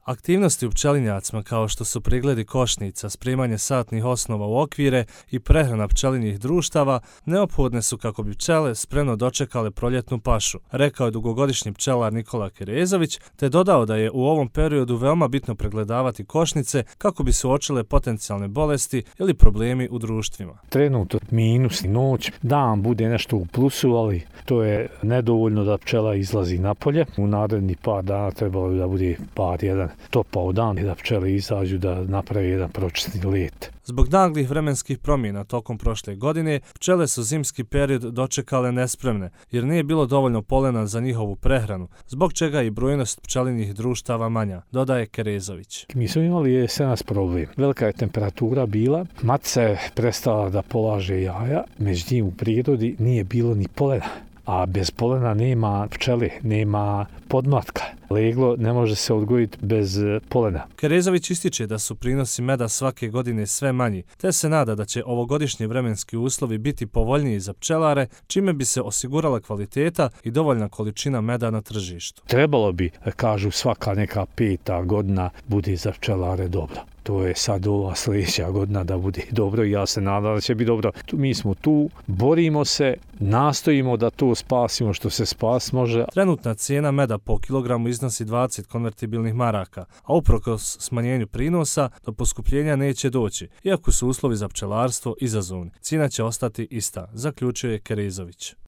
Aktivnosti u pčelinjacima kao što su pregledi košnica, spremanje satnih osnova u okvire i prehrana pčelinjih društava neophodne su kako bi pčele spremno dočekale proljetnu pašu, rekao je dugogodišnji pčelar Nikola Kerezović, te dodao da je u ovom periodu veoma bitno pregledavati košnice kako bi se uočile potencijalne bolesti ili problemi u društvima. Trenutno minus noć, dan bude nešto u plusu, ali to je nedovoljno da pčela izlazi napolje. U naredni par dana trebalo bi da bude par jedan topao dan i da pčele izađu da naprave jedan pročisni let. Zbog naglih vremenskih promjena tokom prošle godine, pčele su zimski period dočekale nespremne, jer nije bilo dovoljno polena za njihovu prehranu, zbog čega i brojnost pčelinjih društava manja, dodaje Kerezović. Mi smo imali jesenas problem. Velika je temperatura bila, matica je prestala da polaže jaja, međutim u prirodi nije bilo ni polena. A bez polena nema pčele, nema podmlatka. Leglo ne može se odgojiti bez polena. Kerezović ističe da su prinosi meda svake godine sve manji, te se nada da će ovogodišnji vremenski uslovi biti povoljniji za pčelare, čime bi se osigurala kvaliteta i dovoljna količina meda na tržištu. Trebalo bi, kažu, svaka neka 5. godina bude za pčelare dobro. To je sad ova sljedeća godina da bude dobro i ja se nadam da će biti dobro. Mi smo tu, borimo se, nastojimo da to spasimo što se spas može. Trenutna cijena meda po kilogramu iznosi 20 konvertibilnih maraka, a uprkos smanjenju prinosa do poskupljenja neće doći, iako su uslovi za pčelarstvo izazovni. Cijena će ostati ista, zaključuje Kerezović.